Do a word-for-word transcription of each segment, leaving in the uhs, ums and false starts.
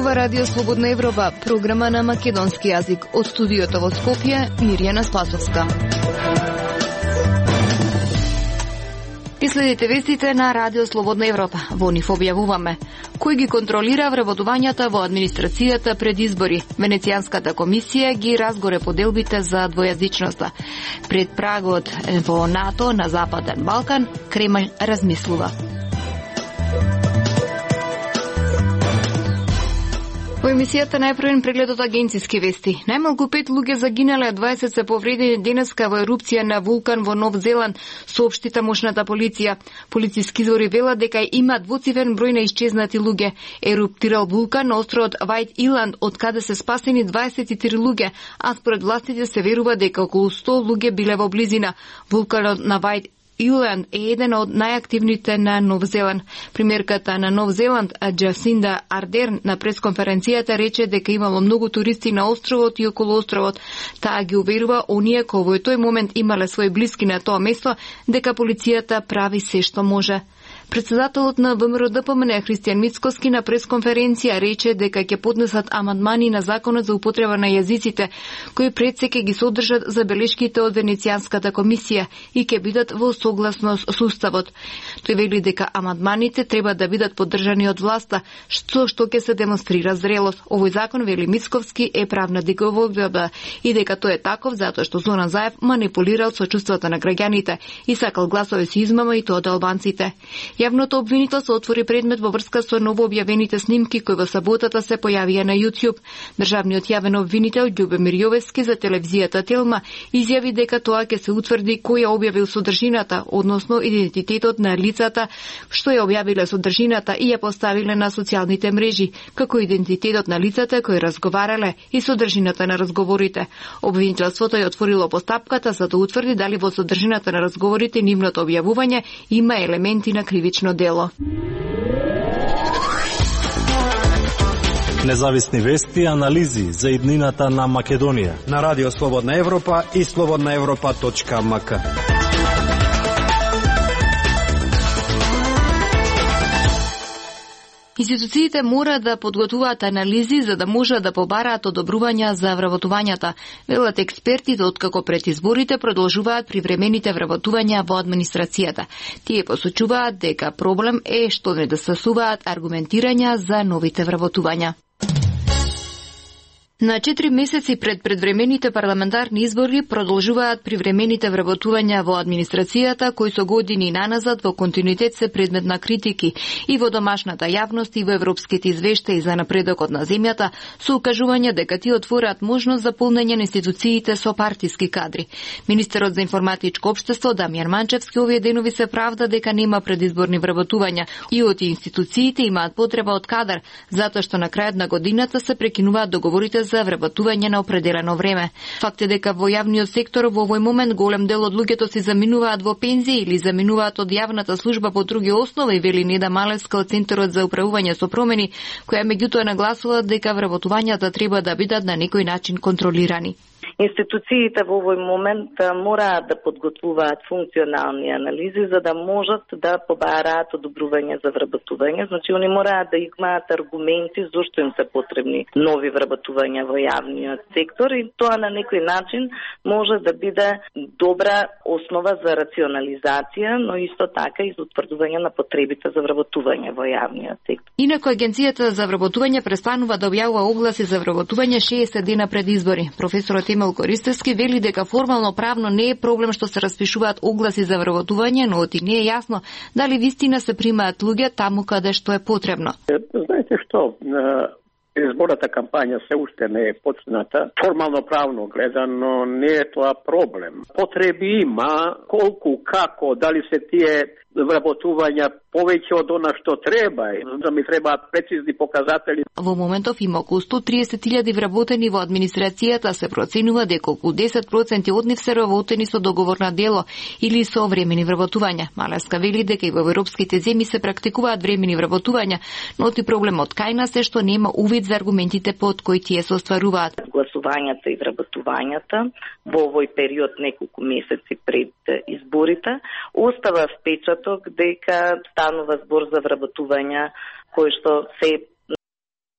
Зборува Радио Слободна Европа, програма на македонски јазик. Од студиото во Скопје, Мирјана Спасовска. И следите вестите на Радио Слободна Европа. Во нив објавуваме: кој ги контролира вработувањата во администрацијата пред избори? Венецијанската комисија ги разгоре поделбите за двојазичноста. Пред прагот во НАТО на Западен Балкан, Кремљ размислува. Во емисијата најпрвен преглед од агенциски вести. Најмалку пет луѓе загинале, дваесет се повредени денеска во ерупција на вулкан во Нов Зеланд, соопшти тамошната полиција. Полициски извори велат дека има двоцифрен број на исчезнати луѓе. Еруптирал вулкан на островот Вајт Иланд, од каде се спасени дваесет и три луѓе, а според властите се верува дека околу сто луѓе биле во близина. Вулканот на Вајт Иланд е еден од најактивните на Нов Зеланд. Премиерката на Нов Зеланд, Джасинда Ардерн, на пресконференцијата рече дека имало многу туристи на островот и околу островот. Таа ги уверува оние кои во тој момент имале своји блиски на тоа место дека полицијата прави се што може. Председателот на ВМРО Д П М Н Христијан Мицкоски на пресконференција рече дека ќе поднесат амандмани на законот за употреба на јазиците, кои пред се ќе ги содржат забелешките од Венецијанската комисија и ќе бидат во согласност со уставот. Тој вели дека амандманите треба да бидат поддржани од власта, што што ќе се демонстрира зрелост. Овој закон, вели Мицковски, е правна диговодба и дека тој е таков затоа што Зоран Заев манипулирал со чувствата на граѓаните и сакал гласови со измама и тоа од албанците. Јавното обвинителство отвори предмет во врска со новообјавените снимки кои во саботата се појавија на YouTube. Државниот јавен обвинител Љубомир Јовевски за телевизијата Телма изјави дека тоа ќе се утврди кој ја објавил содржината, односно идентитетот на лицата што ја објавиле содржината и ја поставиле на социјалните мрежи, како идентитетот на лицата кои разговарале и содржината на разговорите. Обвинителството ја отворило постапката за да утврди дали во содржината на разговорите нивното објавување има елементи на кривично дело. Независни вести и анализи за иднината на Македонија на Радио Слободна Европа и слободна европа точка м к. Институциите мора да подготвуваат анализи за да можат да побараат одобрувања за вработувањата. Велат експертите откако пред изборите продолжуваат привремените вработувања во администрацијата. Тие посочуваат дека проблем е што недостасуваат аргументирања за новите вработувања. На четири месеци пред предвремените парламентарни избори продолжуваат привремените вработувања во администрацијата, кои со години наназад во континуитет се предмет на критики и во домашната јавност и во европските извештаи за напредокот на земјата, со укажување дека тие отвораат можност за полнење на институциите со партиски кадри. Министерот за информатичко општество Дамјан Манчевски овие денови се правда дека нема предизборни вработувања и од институциите имаат потреба од кадар, затоа што на крајот на годината се прекинуваат договорите за вработување на определено време. Факт е дека во јавниот сектор во овој момент голем дел од луѓето се заминуваат во пензија или заминуваат од јавната служба по други основи, вели Неда Малевска од Центарот за управување со промени, која меѓутоа нагласува дека вработувањата треба да бидат на некој начин контролирани. Институциите во овој момент мораат да подготвуваат функционални анализи за да можат да побараат одобрување за вработување. Значи, они мораат да имаат аргументи зошто им се потребни нови вработувања во јавниот сектор и тоа на некој начин може да биде добра основа за рационализација, но исто така и за утврдување на потребите за вработување во јавниот сектор. Инаку Агенцијата за вработување престанува да објавува огласи за вработување шеесет дена пред избори. Професорот Емил Користевски вели дека формално правно не е проблем што се распишуваат огласи за вработување, но оти не е јасно дали вистина се примаат луѓе таму каде што е потребно. Знаете што, изборната кампања се уште не е почната. Формално правно гледано не е тоа проблем. Потреби има, колку, како, дали се тие вработувања повеќе од она што треба, да ми требаат прецизни показатели. Во моментов има околу сто триесет илјади вработени во администрацијата, се проценува дека околу десет проценти од нив се вработени со договор на дело или со времени вработувања. Малевска вели дека и во европските земји се практикуваат времени вработувања, но ти проблемот кај нас е што нема увид за аргументите под кои тие се остваруваат. Гласувањата и вработувањата во овој период неколку месеци пред изборите остава впечаток дека станува збор за вработувања кои што се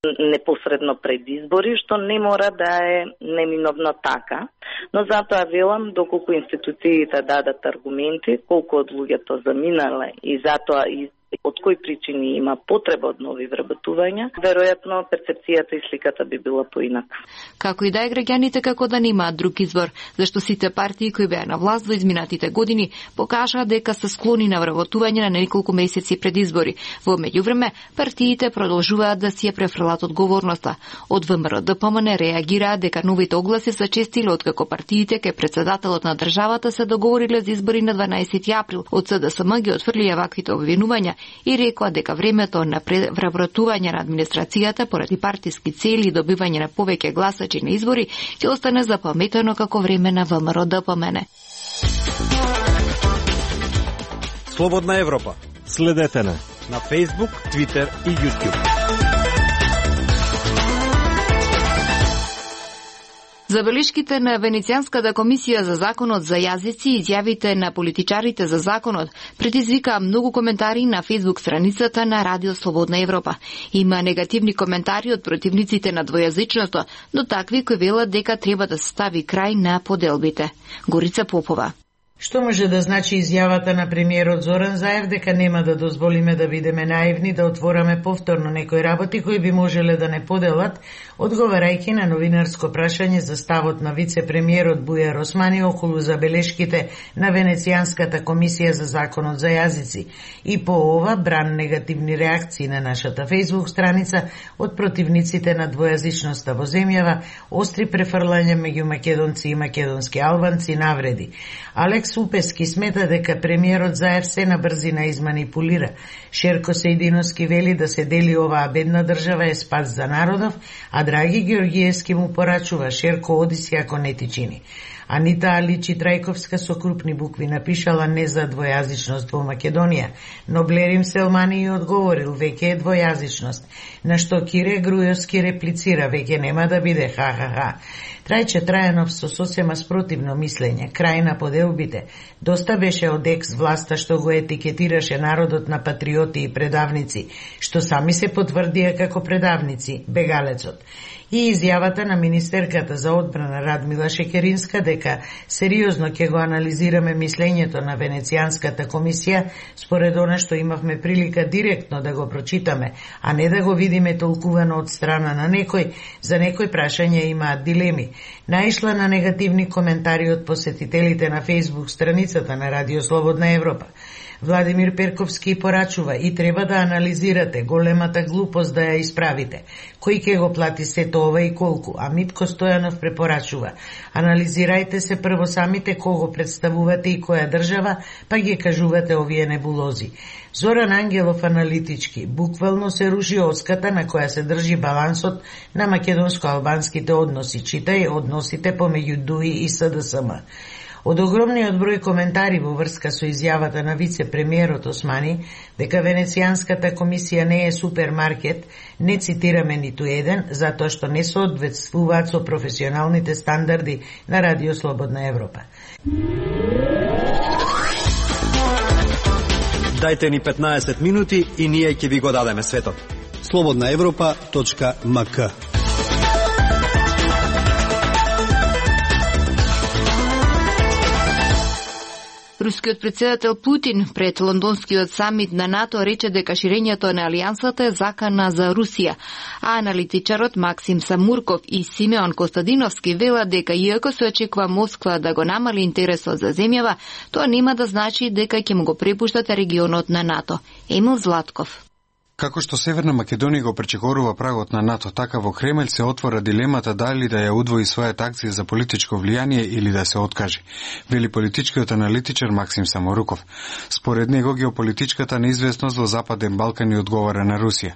непосредно пред избори, што не мора да е неминовно така. Но затоа велам, доколку институциите дадат аргументи, колку од луѓето заминале и затоа и од кои причини има потреба од нови вработувања, веројатно перцепцијата и сликата би била поинака. Како и да е, граѓаните како да немаат друг избор, зашто сите партии кои беа на власт во изминатите години покажаа дека се склони на вработување на неколку месеци пред избори. Во меѓувреме, партиите продолжуваат да си ја префрлат одговорноста. Од ВМРО-ДПМН реагираа дека новите огласи се честиле откако партиите кај председателот на државата се договориле за избори на дванаесети април. Од СДСМ ги отфрлија ваквите обвинувања и рекоа дека времето на вработување на администрацијата поради партиски цели и добивање на повеќе гласачи на избори ќе остане запаметено како време на ВМРО-ДПМН. Слободна Европа. Следете на на Facebook, Twitter и YouTube. Забелешките на Венецијанската комисија за законот за јазици и изјавите на политичарите за законот предизвикаа многу коментари на Facebook страницата на Радио Слободна Европа. Има негативни коментари од противниците на двојазичноста, но такви кои велат дека треба да се стави крај на поделбите. Горица Попова. Што може да значи изјавата на премиерот Зоран Заев дека нема да дозволиме да бидеме наивни да отвораме повторно некои работи кои би можеле да не поделат, одговарајќи на новинарско прашање за ставот на вице-премиерот Бујар Османи околу забелешките на Венецијанската комисија за законот за јазици. И по ова бран негативни реакции на нашата Facebook страница од противниците на двојазичноста во земјава, остри префрлања меѓу македонци и македонски албанци навреди. Алекс Упески смета дека премиерот Заев се на брзина изманипулира. Шерко Сејдиновски вели да се дели оваа бедна држава е спас за народов, а Драги Георгиевски му порачува Шерко оди си ако не ти чини. Анита Аличи Трајковска со крупни букви напишала не за двојазичност во Македонија, но Блерим Селмани ја одговорил веќе е двојазичност, на што Кире Грујовски реплицира веќе нема да биде ха-ха-ха. Трајче Трајанов со сосема спротивно мислење, крај на поделбите. Доста беше од екс власта што го етикетираше народот на патриоти и предавници, што сами се потврдија како предавници, бегалецот. И изјавата на министерката за одбрана Радмила Шекеринска дека сериозно ќе го анализираме мислењето на Венецијанската комисија, според она што имавме прилика директно да го прочитаме, а не да го видиме толкувано од страна на некој, за некој прашање имаат дилеми. Наишла на негативни коментари од посетителите на Facebook страницата на Радио Слободна Европа. Владимир Перковски порачува и треба да анализирате големата глупост да ја исправите. Кој ќе го плати сето ова и колку? А Митко Стојанов препорачува: анализирајте се прво самите кого представувате и која држава, па ги кажувате овие небулози. Зоран Ангелов аналитички: буквално се руши оската на која се држи балансот на македонско-албанските односи, читај односите помеѓу ДУИ и СДСМ. Од огромниот број коментари во врска со изјавата на вице-премиерот Османи дека Венецијанската комисија не е супермаркет, не цитираме ниту еден, затоа што не соодветствуваат со професионалните стандарди на Радио Слободна Европа. Дајте ни петнаесет минути и ние ќе ви го дадеме светот. слободна европа точка ем ка. Рускиот председател Путин пред лондонскиот самит на НАТО рече дека ширењето на алијансата е закана за Русија, а аналитичарот Максим Самурков и Симеон Костадиновски велат дека иако се очекува Москва да го намали интересот за земјава, тоа нема да значи дека ќе му го препуштат регионот на НАТО. Емил Златков. Како што Северна Македонија го пречекорува прагот на НАТО, така во Кремљ се отвора дилемата дали да ја удвои својата акција за политичко влијание или да се откаже, вели политичкиот аналитичар Максим Саморуков. Според него геополитичката неизвестност во Западен Балкан и одговара на Русија.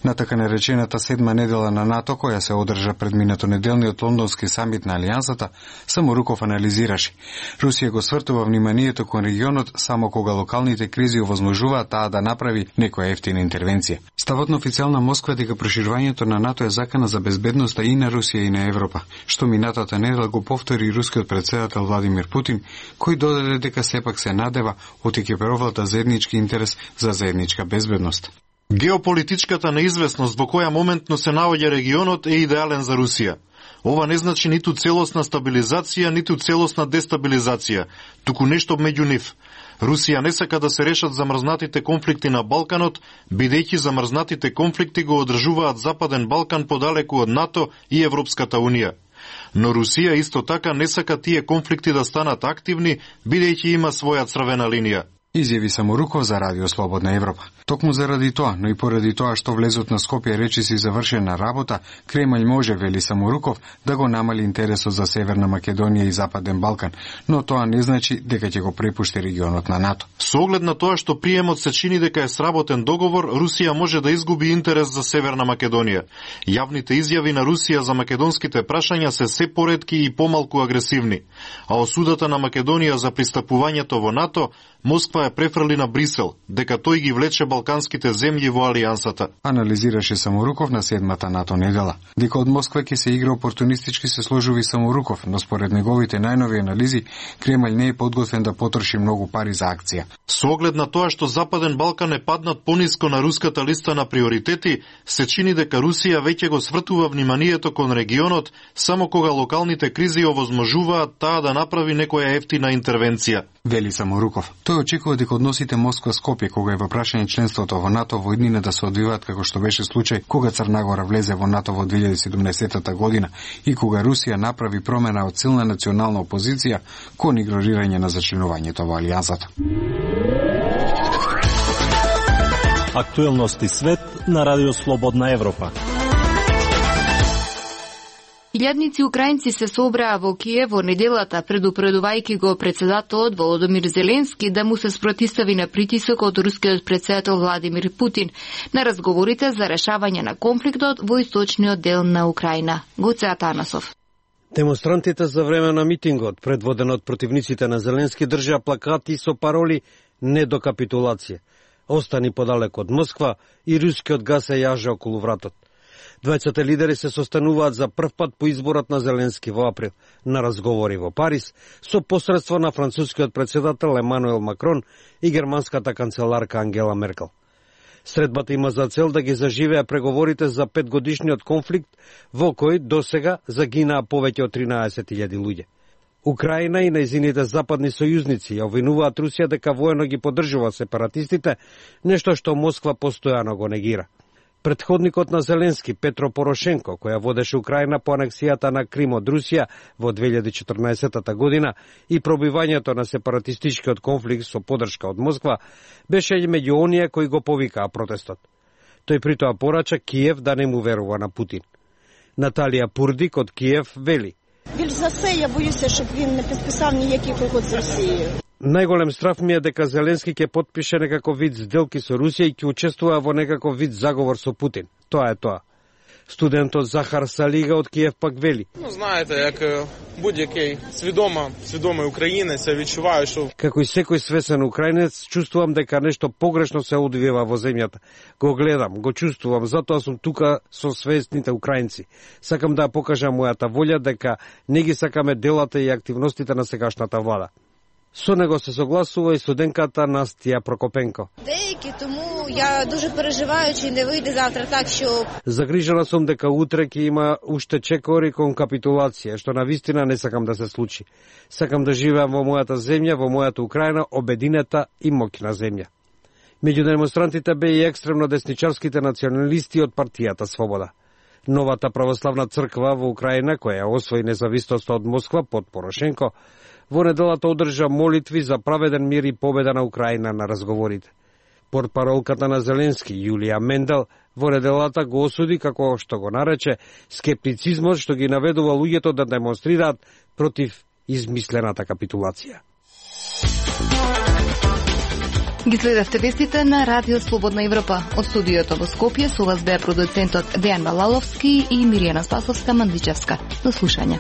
На така наречената седма недела на НАТО, која се одржа пред минатонеделниот лондонски самит на Алијансата, Саморуков анализираше: Русија го свртува вниманието кон регионот само кога локалните кризи овозможуваат таа да направи некоја ефтина интервенција. Ставот на официјална Москва дека проширувањето на НАТО е закана за безбедноста и на Русија и на Европа, што минатата недела го повтори рускиот председател Владимир Путин, кој додаде дека сепак се надева од екипировата заеднички интерес за заедничка безбедност. Геополитичката неизвестност во која моментно се наоѓа регионот е идеален за Русија. Ова не значи ниту целосна стабилизација, ниту целосна дестабилизација, туку нешто меѓу нив. Русија не сака да се решат замрзнатите конфликти на Балканот, бидејќи замрзнатите конфликти го одржуваат Западен Балкан подалеку од НАТО и Европската Унија. Но Русија исто така не сака тие конфликти да станат активни, бидејќи има своја црвена линија. Изјави Саморуков за Радио Слободна Европа. Токму заради тоа, но и поради тоа што влезот на Скопје речиси завршена работа, Кремљ може, вели Саморуков, да го намали интересот за Северна Македонија и Западен Балкан, но тоа не значи дека ќе го препушти регионот на НАТО. Со оглед на тоа што приемот се чини дека е сработен договор, Русија може да изгуби интерес за Северна Македонија. Јавните изјави на Русија за македонските прашања се се поретки и помалку агресивни, а осудата на Македонија за пристапувањето во НАТО Москва ја префрли на Брисел, дека тој ги влече балканските земји во алијансата. Анализираше Саморуков на седмата НАТО недела. Дека од Москва ќе се игра опортунистички се сложува Саморуков, но според неговите најнови анализи, Кремљ не е подготвен да потроши многу пари за акција. Со оглед на тоа што Западен Балкан е паднат пониско на руската листа на приоритети, се чини дека Русија веќе го свртува вниманието кон регионот само кога локалните кризи овозможуваат таа да направи некоја ефтина интервенција. Вели Саморуков. Тој очекува дека односите Москва-Скопје, кога е во прашање членството во НАТО, во иднина да се одвиваат како што беше случај кога Црна Гора влезе во НАТО во две илјади и седумнаесетта година и кога Русија направи промена од силна национална опозиција кон игнорирање на зачленувањето во алијансата. Актуелности свет на Радио Слободна Европа. Илјадници украинци се собраа во Киев во неделата, предупредувајќи го председателот Володомир Зеленски да му се спротистави на притисок од рускиот председател Владимир Путин на разговорите за решавање на конфликтот во источниот дел на Украина. Гоце Атанасов. Демонстрантите за време на митингот, предводен од противниците на Зеленски, држаа плакати со пароли «Не до капитулација», «Остани подалеку од Москва» и «Рускиот газ се јаже околу вратот». Двајцата лидери се состануваат за прв пат по изборот на Зеленски во април на разговори во Париз со посредство на францускиот председател Емануел Макрон и германската канцеларка Ангела Меркел. Средбата има за цел да ги заживеа преговорите за петгодишниот конфликт во кој досега загинаа повеќе од тринаесет илјади луѓе. Украина и нејзините западни сојузници ја обвинуваат Русија дека воено ги поддржува сепаратистите, нешто што Москва постојано го негира. Предходникот на Зеленски, Петро Порошенко, која водеше Украина по анексијата на Крим од Русија во две илјади и четрнаесетта година и пробивањето на сепаратистичкиот конфликт со поддршка од Москва, беше меѓу оние кои го повикаа протестот. Тој притоа порача Киев да не му верува на Путин. Наталија Пурдик од Киев вели: Більш за все, я боюся, щоб він не підписав ніяких угод з Росією. Најголем страф ми е дека Зеленски ќе потпише некаков вид сделки со Русија и ќе учествува во некаков вид заговор со Путин. Тоа е тоа. Студентот Захар Салига од Киев пак вели: Ну, знаете, як будь-який свідома, свідомий українець, я відчуваю, що... Како и секој свесен украинец, чувствувам дека нешто погрешно се одвива во земјата. Го гледам, го чувствувам, затоа сум тука со свесните украинци. Сакам да покажам мојата волја дека не ги сакаме делата и активностите на сегашната влада. Со него се согласува и студентката Настија Прокопенко. Дејки, тому ја дуже переживаю, че не выйде завтра так, што... Загрижена сум дека утре ќе има уште чекори кон капитулација, што навистина не сакам да се случи. Сакам да живеам во мојата земја, во мојата Украина, обединета и моќна земја. Меѓу демонстрантите бе и екстремно десничарските националисти од партијата Свобода. Новата православна црква во Украина, која освои независноста од Москва под Порошенко, во неделата одржа молитви за праведен мир и победа на Украина на разговорите. Портпаролката на Зеленски, Јулија Мендел, во неделата го осуди, како што го нарече, скептицизмот што ги наведува луѓето да демонстрираат против измислената капитулација. Ги следевте вестите на Радио Слободна Европа. Од студиото во Скопје со вас беа продуцентот Дејан Балаловски и Миријана Спасовска-Мандичевска. До слушање.